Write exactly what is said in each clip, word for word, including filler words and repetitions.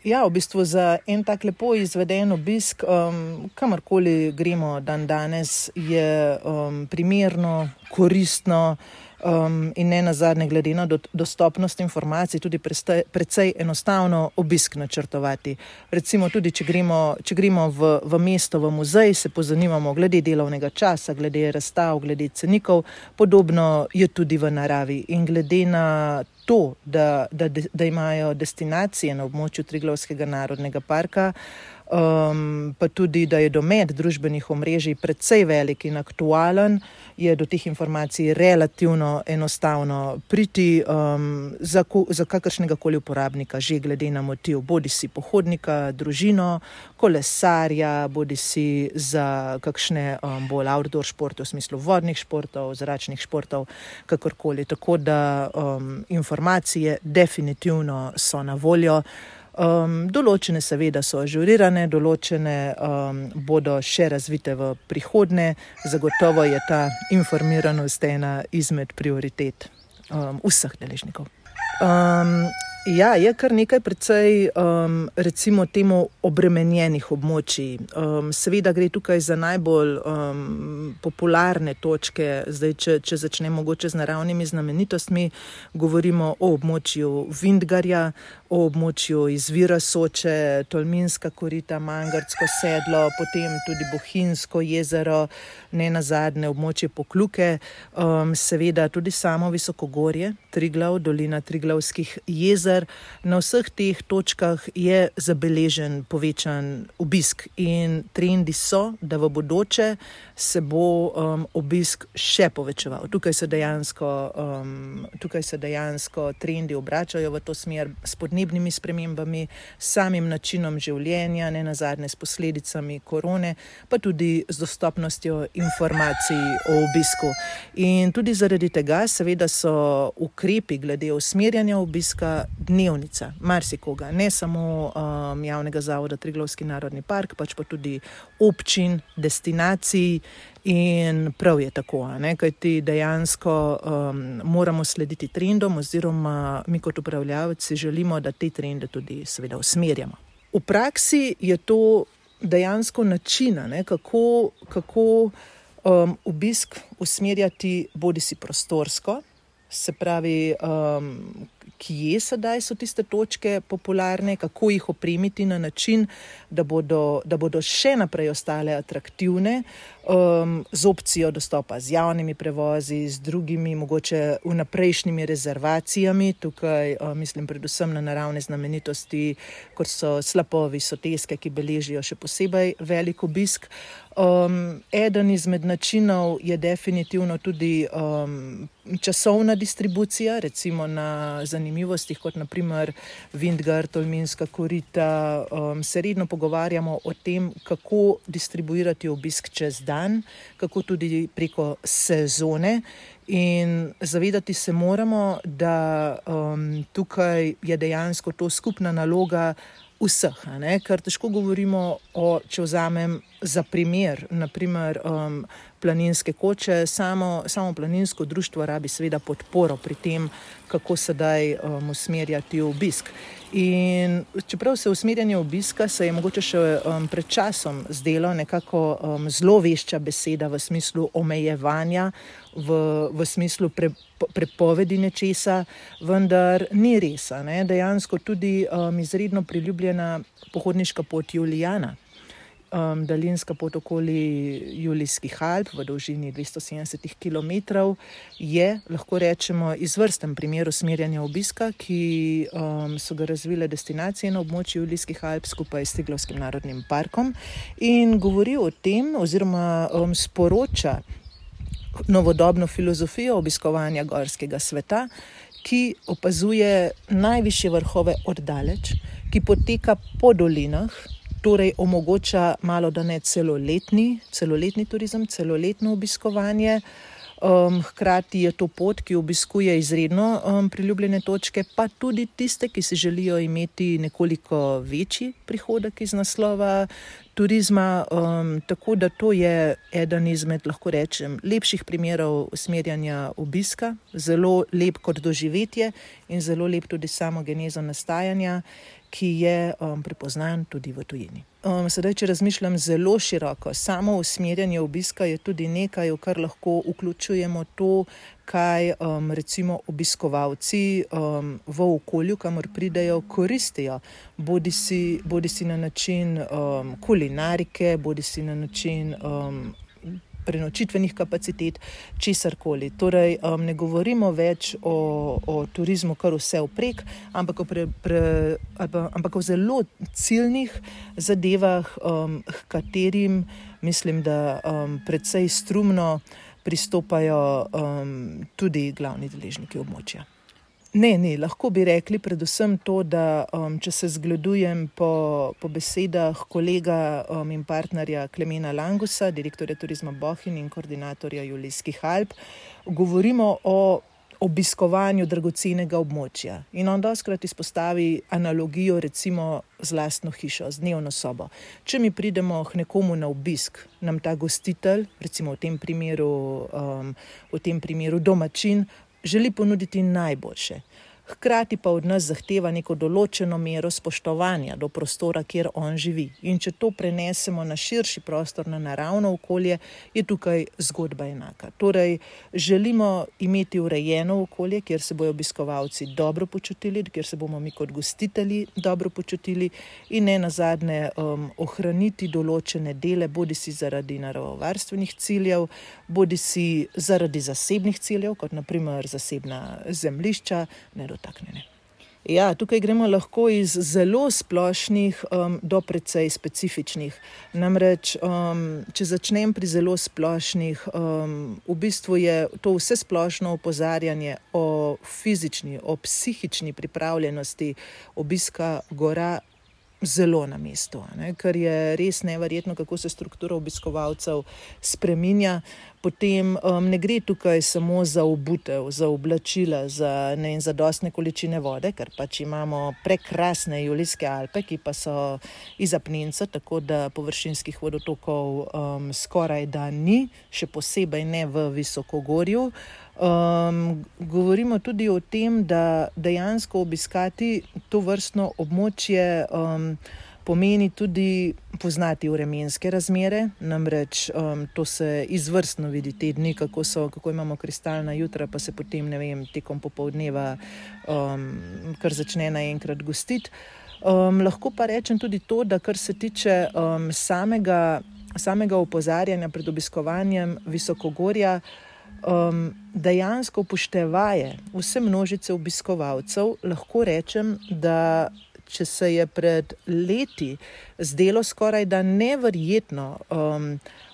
ja, v bistvu za en tak lepo izveden obisk, um, kamorkoli gremo dan danes, je um, primerno, koristno um, in ne nazadnje glede na do, dostopnost informacij tudi preste, precej enostavno obisk načrtovati. Recimo tudi, če gremo, če gremo v, v mesto, v muzej, se pozanimamo glede delovnega časa, glede razstav, glede cenikov, podobno je tudi v naravi in glede na to, da, da, da imajo destinacije na območju Triglavskega narodnega parka, um, pa tudi, da je domet družbenih omrežij precej velik in aktualen, je do teh informacij relativno enostavno priti um, za, za kakršnega koli uporabnika, že glede na motiv, bodi si pohodnika, družino, kolesarja, bodi si za kakšne um, bolj outdoor športe, v smislu vodnih športov, zračnih športov, kakorkoli. Tako da um, informacije definitivno so na voljo. Um, določene seveda so ažurirane, določene um, bodo še razvite v prihodnje. Zagotovo je ta informiranost ena izmed prioritet um, vseh deležnikov. Um, ja, je kar nekaj precej um, recimo temu obremenjenih območij. Um, seveda gre tukaj za najbolj um, popularne točke. Zdaj, če, če začnemo mogoče z naravnimi znamenitostmi, govorimo o območju Vintgarja, o območju izvira Soče, Tolminska korita, Mangartsko sedlo, potem tudi Bohinjsko jezero, ne nazadnje območje Pokljuke, um, seveda tudi samo visokogorje, Triglav, dolina Triglavskih jezer. Na vseh teh točkah je zabeležen povečan obisk in trendi so, da v bodoče se bo um, obisk še povečeval. Tukaj se dejansko, um, tukaj se dejansko trendi obračajo v to smer s podnebnimi spremembami, samim načinom življenja, ne nazadnje s posledicami korone, pa tudi z dostopnostjo informacij o obisku. In tudi zaradi tega seveda so ukrepi glede usmerjanja obiska dnevnica, marsikoga, ne samo um, javnega zavoda Triglavski narodni park, pač pa tudi občin, destinacij. In prav je tako, ne? Kajti dejansko um, moramo slediti trendom oziroma mi kot upravljavci želimo, da te trende tudi seveda usmerjamo. V praksi je to dejansko način, ne? kako, kako um, obisk usmerjati bodi si prostorsko, se pravi, um, kje sedaj so tiste točke popularne, kako jih opremiti na način, da bodo, da bodo še naprej ostale atraktivne, um, z opcijo dostopa z javnimi prevozi, z drugimi mogoče vnaprejšnjimi rezervacijami. Tukaj um, mislim predvsem na naravne znamenitosti, kot so slapovi, soteske, ki beležijo še posebej velik obisk. Um, eden izmed načinov je definitivno tudi um, časovna distribucija, recimo na zanimivostih, kot na primer Vintgar, Tolminska korita. Um, se redno pogovarjamo o tem, kako distribuirati obisk čez dan, kako tudi preko sezone. In zavedati se moramo, da um, tukaj je dejansko to skupna naloga vseh, ne? Ker težko govorimo o, če vzamem za primer, naprimer um, planinske koče, samo, samo planinsko društvo rabi seveda podporo pri tem, kako sedaj um, usmerjati obisk. In čeprav se usmerjanje obiska se je mogoče še um, pred časom zdelo nekako um, zelo vešča beseda v smislu omejevanja, v, v smislu pre, prepovedi nečesa, vendar ni res, ne? Dejansko tudi um, izredno priljubljena pohodniška pot Julijana, um, daljinska pot okoli Julijskih Alp v dolžini dvesto sedemdeset kilometrov, je, lahko rečemo, izvrsten primer usmerjanja obiska, ki um, so ga razvile destinacije na območju Julijskih Alp skupaj s Triglavskim narodnim parkom in govori o tem oziroma um, sporoča novodobno filozofijo obiskovanja gorskega sveta, ki opazuje najvišje vrhove oddaleč, ki poteka po dolinah, torej omogoča malo da ne celoletni, celoletni turizem, celoletno obiskovanje. Um, hkrati je to pot, ki obiskuje izredno um, priljubljene točke, pa tudi tiste, ki si želijo imeti nekoliko večji prihodek iz naslova turizma, um, tako da to je eden izmed, lahko rečem, lepših primerov usmerjanja obiska, zelo lep kot doživetje in zelo lep tudi samo genezo nastajanja. ki je um, prepoznan tudi v tujini. Um, sedaj, če razmišljam zelo široko, samo usmerjanje obiska je tudi nekaj, v kar lahko vključujemo to, kaj um, recimo obiskovalci um, v okolju, kamor pridejo, koristijo. Bodi si, bodi si na način um, kulinarike, bodi si na način um, prenočitvenih kapacitet, česarkoli. Torej, um, ne govorimo več o, o turizmu kar vse vprek, ampak o, pre, pre, ampak o zelo ciljnih zadevah, um, k katerim mislim, da um, precej strumno pristopajo um, tudi glavni deležniki območja. Ne, ne, lahko bi rekli predvsem to, da um, če se zgledujem po, po besedah kolega um, in partnerja Klemena Langusa, direktorja Turizma Bohinj in koordinatorja Julijskih Alp, govorimo o obiskovanju dragocenega območja. In on dostikrat izpostavi analogijo recimo z lastno hišo, z dnevno sobo. Če mi pridemo k nekomu na obisk, nam ta gostitelj, recimo v tem primeru, um, v tem primeru domačin, želi ponuditi najboljše. Hkrati pa od nas zahteva neko določeno mero spoštovanja do prostora, kjer on živi. In če to prenesemo na širši prostor, na naravno okolje, je tukaj zgodba enaka. Torej, želimo imeti urejeno okolje, kjer se bojo obiskovalci dobro počutili, kjer se bomo mi kot gostitelji dobro počutili in ne nazadnje um, ohraniti določene dele, bodi si zaradi naravovarstvenih ciljev, bodi si zaradi zasebnih ciljev, kot na primer zasebna zemljišča, ne dotaknjene. Ja, tukaj gremo lahko iz zelo splošnih um, do precej specifičnih. Namreč, um, če začnem pri zelo splošnih, um, v bistvu je to vse splošno opozarjanje o fizični, o psihični pripravljenosti obiska gora zelo na mestu, ne? Ker je res neverjetno, kako se struktura obiskovalcev spreminja. Potem um, ne gre tukaj samo za obutev, za oblačila, za ne in zadostne količine vode, ker pač imamo prekrasne Julijske Alpe, ki pa so iz apnenca, tako da površinskih vodotokov um, skoraj da ni, še posebej ne v visokogorju. Um, govorimo tudi o tem, da dejansko obiskati to vrstno območje um, pomeni tudi poznati vremenske razmere, namreč um, to se izvrstno vidi te dni, kako so, kako imamo kristalna jutra, pa se potem, ne vem, tekom popoldneva um, kar začne naenkrat gostiti. Um, lahko pa rečem tudi to, da kar se tiče um, samega, samega opozarjanja pred obiskovanjem visokogorja, Um, dejansko upoštevaje vse množice obiskovalcev, lahko rečem, da če se je pred leti zdelo skoraj da neverjetno um,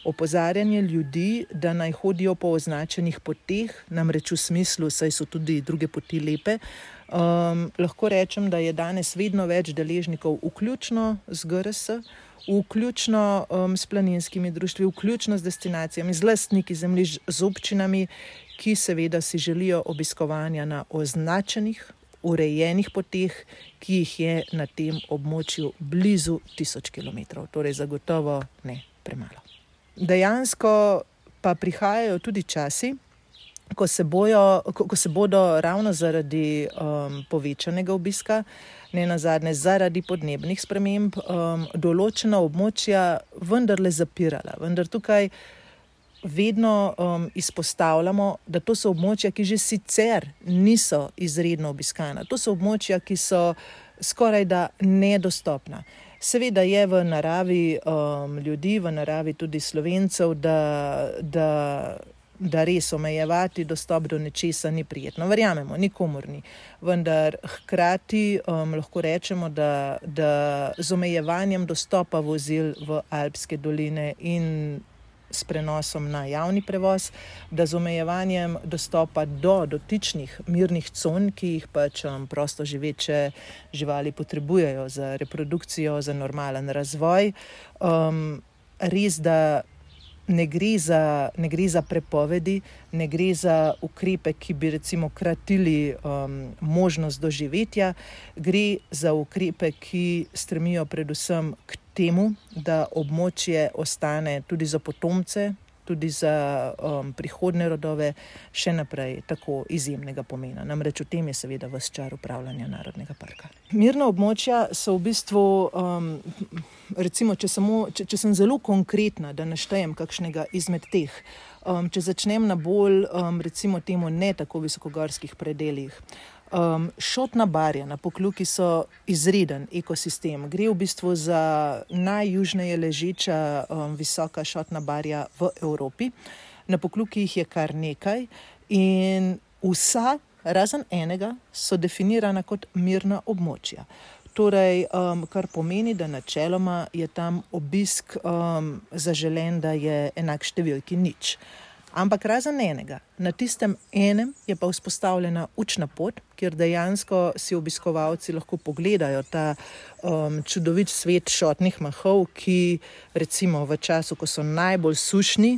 opozarjanje ljudi, da naj hodijo po označenih poteh, namreč v smislu, saj so tudi druge poti lepe, um, lahko rečem, da je danes vedno več deležnikov, vključno z G R S, vključno um, s planinskimi društvi, vključno z destinacijami, z lastniki zemljišč, z občinami, ki seveda si želijo obiskovanja na označenih, urejenih poteh, ki jih je na tem območju blizu tisoč kilometrov, torej zagotovo ne premalo. Dejansko pa prihajajo tudi časi, ko se, bojo, ko, ko se bodo ravno zaradi um, povečanega obiska, ne nazadnje zaradi podnebnih sprememb, um, določena območja vendarle zapirala. Vendar tukaj vedno um, izpostavljamo, da to so območja, ki že sicer niso izredno obiskana. To so območja, ki so skoraj da nedostopna. Seveda je v naravi um, ljudi, v naravi tudi Slovencev, da, da da res omejevati dostop do nečesa ni prijetno. Verjamemo, nikomur ni. Vendar hkrati um, lahko rečemo, da, da z omejevanjem dostopa vozil v Alpske doline in s prenosom na javni prevoz, da z omejevanjem dostopa do dotičnih mirnih con, ki jih pač um, prosto živeče živali potrebujejo za reprodukcijo, za normalen razvoj. Um, res, da Ne gre, za, ne gre za prepovedi, ne gre za ukrepe, ki bi recimo kratili um, možnost doživetja, gre za ukrepe, ki stremijo predvsem k temu, da območje ostane tudi za potomce tudi za um, prihodne rodove še naprej tako izjemnega pomena. Namreč v tem je seveda ves čar upravljanja Narodnega parka. Mirna območja so v bistvu, um, recimo, če, samo, če, če sem zelo konkretna, da naštejem kakšnega izmed teh, um, če začnem na bolj, um, recimo temu, ne tako visokogorskih predeljih. Um, Šotna barja na Pokljuki so izreden ekosistem. Gre v bistvu za najjužneje ležeča um, visoka šotna barja v Evropi. Na Pokljuki jih je kar nekaj in vsa, razen enega, so definirana kot mirna območja. Torej, um, kar pomeni, da načeloma je tam obisk um, zaželen, da je enak številki nič. Ampak razen enega, na tistem enem je pa vzpostavljena učna pot, kjer dejansko si obiskovalci lahko pogledajo ta um, čudovit svet šotnih mahov, ki recimo v času, ko so najbolj sušni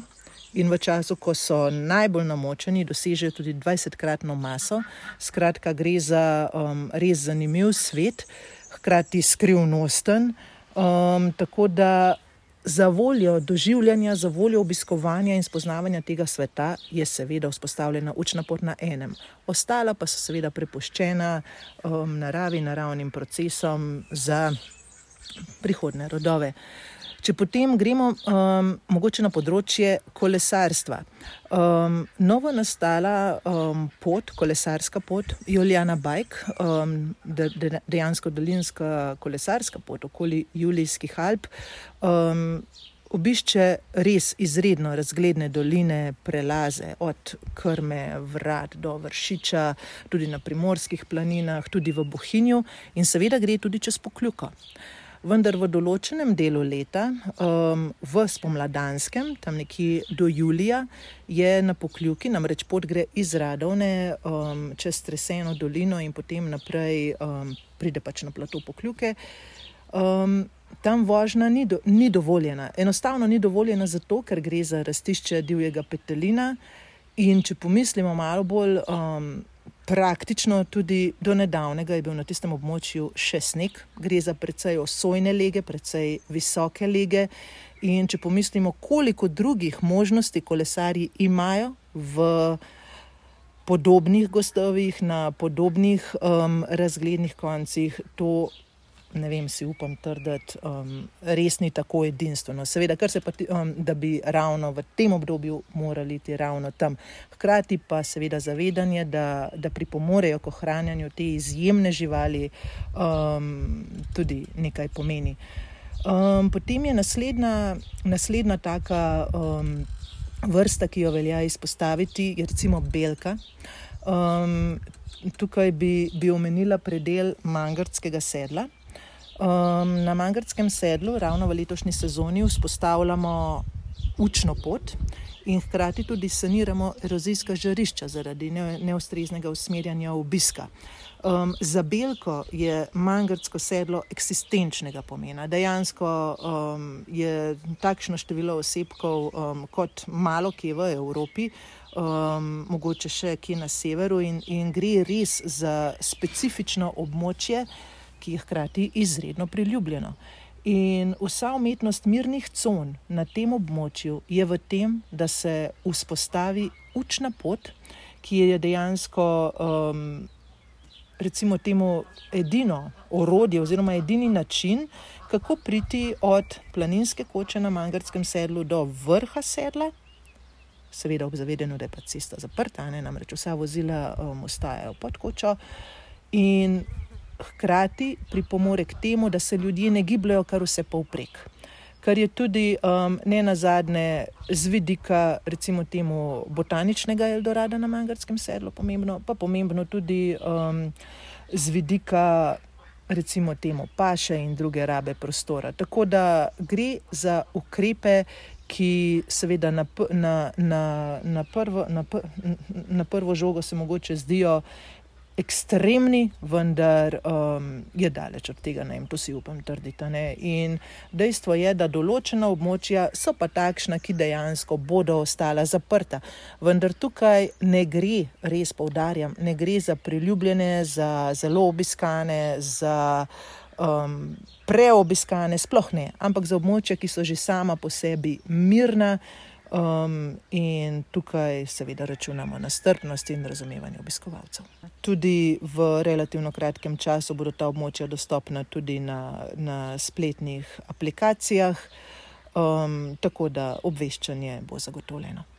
in v času, ko so najbolj namočeni, dosežejo tudi dvajsetkratno maso. Skratka, gre za um, res zanimiv svet, hkrati skrivnosten, um, tako da za voljo doživljanja, za voljo obiskovanja in spoznavanja tega sveta je seveda vzpostavljena učna pot na enem. Ostala pa so seveda prepuščena um, naravi, naravnim procesom za prihodne rodove. Če potem gremo um, mogoče na področje kolesarstva. Um, novo nastala um, pot, kolesarska pot, Julijana Bike, um, de, de, dejansko dolinska kolesarska pot okoli Julijskih Alp, um, obišče res izredno razgledne doline, prelaze od Krme, Vrat do Vršiča, tudi na Primorskih planinah, tudi v Bohinju in seveda gre tudi čez Pokljuko. Vendar v določenem delu leta, um, v spomladanskem, tam nekje do julija, je na Pokljuki, namreč pot gre iz Radovne um, čez Treseno dolino in potem naprej um, pride pač na plato Pokljuke. Um, tam vožnja ni, do, ni dovoljena. Enostavno ni dovoljena zato, ker gre za rastišče divjega petelina in če pomislimo malo bolj um, praktično, tudi do nedavnega je bil na tistem območju še sneg. Gre za precej osojne lege, precej visoke lege in če pomislimo, koliko drugih možnosti kolesarji imajo v podobnih gozdovih, na podobnih um, razglednih koncih, to ne vem, si upam trditi, um, res ni tako edinstveno. Seveda, kar se pa, um, da bi ravno v tem obdobju morali iti ravno tam. Hkrati pa seveda zavedanje, da, da pripomorejo k ohranjanju te izjemne živali, um, tudi nekaj pomeni. Um, potem je naslednja, naslednja taka um, vrsta, ki jo velja izpostaviti, je recimo belka. Um, tukaj bi, bi omenila predel Mangartskega sedla. Um, na Mangartskem sedlu ravno v letošnji sezoni vzpostavljamo učno pot in hkrati tudi saniramo erozijska žarišča zaradi ne, neustreznega usmerjanja obiska. Um, za belko je Mangartsko sedlo eksistenčnega pomena. Dejansko um, je takšno število osebkov um, kot malo kje v Evropi, um, mogoče še kje na severu in, in gre res za specifično območje, ki je hkrati izredno priljubljeno. In vsa umetnost mirnih con na tem območju je v tem, da se vzpostavi učna pot, ki je dejansko um, recimo temu edino orodje oziroma edini način, kako priti od planinske koče na Mangartskem sedlu do vrha sedla, seveda ob zavedanju, da je pa cesta zaprta, ne, namreč vsa vozila um, ostajajo pod kočo in hkrati pripomore k temu, da se ljudje ne gibljajo kar vse povprek. Kar je tudi um, ne nazadnje z vidika recimo temu botaničnega Eldorada na Mangartskem sedlu pomembno, pa pomembno tudi um, z vidika recimo temu paše in druge rabe prostora. Tako da gre za ukrepe, ki seveda na, na, na, na, prvo, na, na prvo žogo se mogoče zdijo ekstremni, vendar um, je daleč od tega, ne, to si upam trditi. Ne. In dejstvo je, da določena območja so pa takšna, ki dejansko bodo ostala zaprta. Vendar tukaj ne gre, res poudarjam, ne gre za priljubljene, za zelo obiskane, za um, preobiskane, sploh ne, ampak za območja, ki so že sama po sebi mirna, Um, in tukaj seveda računamo na strpnost in razumevanje obiskovalcev. Tudi v relativno kratkem času bodo ta območja dostopna tudi na, na spletnih aplikacijah, um, tako da obveščanje bo zagotovljeno.